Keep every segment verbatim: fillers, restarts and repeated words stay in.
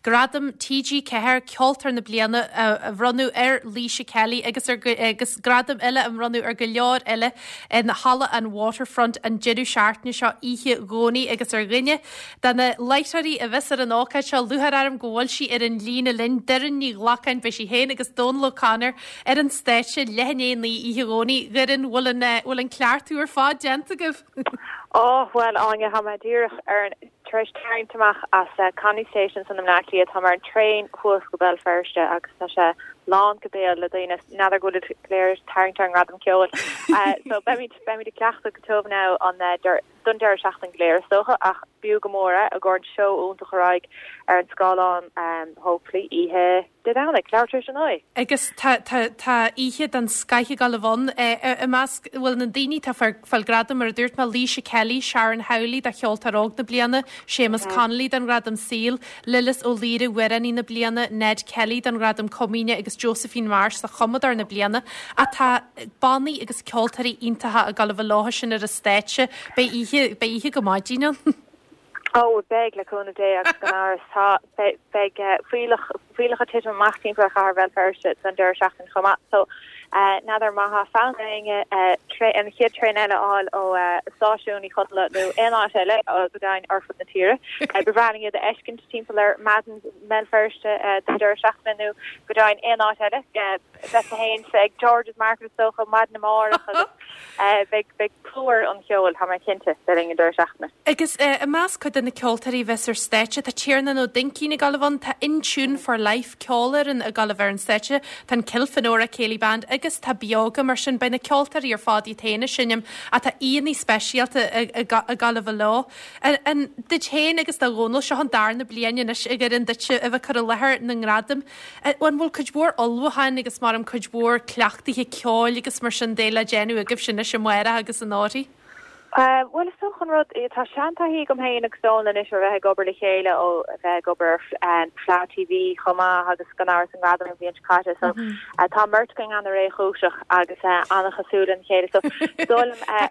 Gradam TG Ceathair Ceoltóir na Bliana a bhronnadh ar Laoise Kelly agus ar agus gradam eile a bhronnadh ar go leor eile in Halla an Waterfront an deireadh seachtaine seo oíche Dhomhnaigh agus ar dhuine de na láithreoirí a bheas ar an ócáid seo lúcháir orm go bhfuil sí ar an líne linn Doireann Ní Ghlacáin beidh sí féin agus Dónal O'Connor ar an stáitse leath i ndiaidh a naoi oíche Dhomhnaigh Doireann bhfuil an bhfuil an cleachtadh ar fad déanta agaibh. Ó well Áine tá mé díreach ar an tar éis tarraingt amach as uh, Connolly Station san Bleá Cliath tá mar an traein thuas go Béal Feirste agus tá sé lán go béal le daoine n'fheadar go léir tarraingt ar an ngradam ceoil. Uh, so beimid beimid ag cleachtadh go tiubh now an uh, don deireadh seachtaine go léir is dócha ach b'fhiú go mór é i gcomhair an seó iontach a raghaidh ar an scáileán um, hopefully oíche Dé Domhnaigh leathuair tar éis a naoi. Agus tá oíche den scoth ag gabháil a bheith ann i measc bhfuil na daoine tá fáil gradam mar a dúirt mé Laoise Kelly, Sharon Howley do cheoltóir óg na bliana, Séamus Connolly don ghradam saoil, Lillis Ó Laoire amhránaí na bliana, Ned Kelly don ghradam comaoine agus Josephine Marsh do chumadóir na bliana atá bannaí agus ceoltóirí iontacha ag gabháil a bheith leo sin ar an stáitse beidh oíche beidh oíche go maidin ann. Ó beidh le cúnamh Dé agus gan amhras tá beidh fuílleach fuílleach ag titim amach timpeall chathair Bhéal Feirste don deireadh seachtaine chomh maith so n'fheadar má tá fonn ar éinne an chéad traein eile fháil ó stáisiún Uí Chonaill nó aon áit eile go deimhin ar fud na tíre. Ba bhreá linn iad a fheiscint timpeall ar Madden Béal Feirste don deireadh seachtaine nó go deimhin aon áit eile bheith féin ag George's Market is dócha maidin amárach agus beidh beidh plúr an cheoil tá mé cinnte le linn an deireadh seachtaine. Agus i measc cuid de na ceoltóirí a bheas ar stáitse tá Tiarnán Ó Duinnchín ag gabháil a bheith ann tá In Tune for Life ceolfhoireann ag gabháil a bheith ar an stáitse tá an Kilfenora Céilí Band agus tá Beoga mar sin beidh na ceoltóirí ar fad iad féin ag seinm atá aíonna speisialta ag gabháil a bheith leo. An duit féin agus do Dhónal seo an darna bliain anois a Dhoireann duit a bheith cur i láthair na ngradam. An bhfuil cuid mhór ullmhúcháin agus mar am cuid mhór cleachtaithe ceoil agus mar sin de le déanamh agaibh sin is amárach agus anóirí? Uh, well is dócha an rud tá seantaithí agam féin agus Dónal anois ar bheith ag obair le chéile ó bheith ag obair um, Fleadh TV chomh maith agus gan amhras an gradam an bhliain seo caite so mm -hmm. uh, tá beirt againn an-réchúiseach agus uh, an-chosúil lena chéile so dólim uh,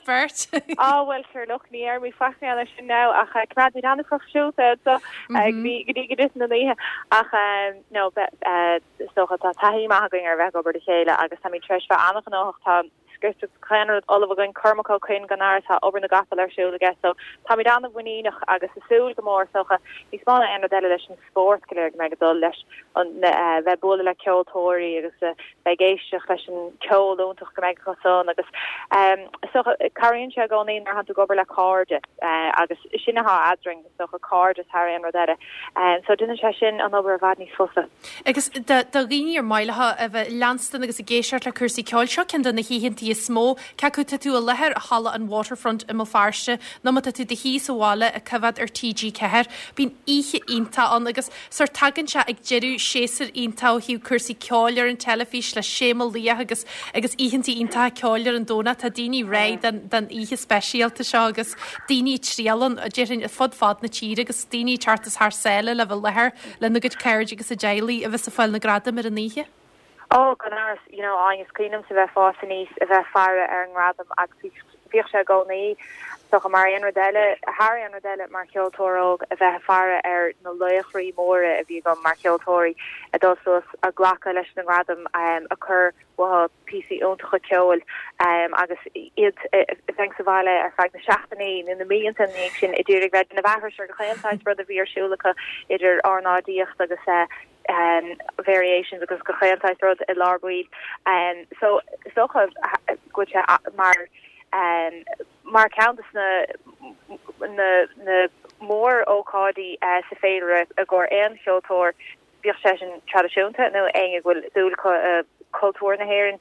beirt á well sure look ní ar mí fa sin now ach uh, coimeádfaimid an-phroifisiúnta so mm -hmm. go dtí go na oíche ach um, no uh, so tá taithí maith againn ar bheith ag obair le chéile agus tá tar éis bheith an-ghnóthach tá script chuan ollah againn Cormac Ó Coinn gan amhras tá obair na gcapall ar siúl aige so táimid an-mhuiníneach agus ag súil go mór socha níos mó ná aon rud eile leis an spórt go léir go mbeidh dul leis an uh, bheith bualadh le ceoltóirí agus uh, bheith éisteacht leis an ceol iontach go mbeidh cosan agus um, so cabhraíonn sé i gcónaí nuair atá tú ag obair le cairde uh, agus sin atá eadrainn socha cairde thar aon rud eile um, so déanann sé sin an obair i bhfad níos fusa. Agus do dhaoine ar maith leo a bheith leanstan agus ag éisteacht le cúrsaí ceoil seo ceann de na hoícheantaí is mó cé acu tá tú i láthair i Halla an Waterfront i mBéal Feirste nó má tá tú i do shuí sa bhaile ag coimhéad ar TG Ceathair, Bíonn oíche iontach ann agus sórt tagann sé ag deireadh séasúr iontach ó thaobh cúrsaí ceoil ar an teilifís le Séamus Liath agus agus oícheantaí iontacha ceoil ar an Domhnach tá daoine réidh den den oíche speisialta seo agus daoine trialan a déarfainn fud fad na tíre agus daoine teacht thar sáile le bheith i láthair lena gcuid cairde agus a dteaghlaigh a bheith ag fáil na gradam ar an oíche. Ó gan amhras you know agus cuimhním sa bheith fás aníos a bheith faire ar an ngradam agus bhíodh sé i gcónaí so mar aon rud eile thar aon rud eile mar cheoltóir óg a bheith faire ar na laochraí móra a bhí agam mar cheoltóirí a dul suas a glacadh leis na gradam um, a chur uathu píosaí iontacha ceoil um, agus iad bheith sa bhaile ar feadh na seachtainí nó na míonna ní sin i dtír bheith na bhethir ar go chaontáid rud a bhí ar siúl acu idir ornáidíocht agus uh, um, variations agus go chaontáid rud i lár baill um, so socha go sé mar um, mar ceann de na na na mór-ócáidí uh, sa féile i gcomhair aon cheoltóir bíodh sé sin traidisiúnta nó éinne a bhfuil dúil uh, cultúr na hÉireann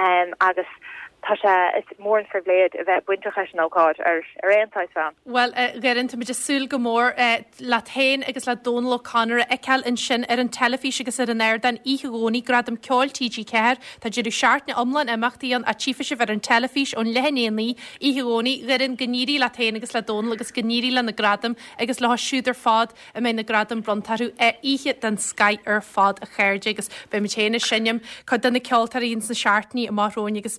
um, agus tá sé is mór an phribhléid a bheith bainteach leis an ócáid ar ar aon taobh. Well uh, Doireann tá ag súil go mór uh, leat féin agus le Dónal O'Connor a fheiceáil ansin ar an teilifís agus ar an ardán oíche Dhomhnaigh gradam ceoil TG Ceathair Tá deireadh seachtaine iomlán imeachtaí ann a tchífidh sibh ar an teilifís ón leath i ndiaidh a naoi oíche Dhomhnaigh Doireann go n-éirí leat féin agus le Dónal agus go n-éirí le na gradaim agus le siúd ar fad a mbeidh na gradaim bronnta orthu oíche den scoth ar fad a chairde agus beidh muid féin ag seinm cuid de na ceoltóirí sna seachtainí amach romhainn agus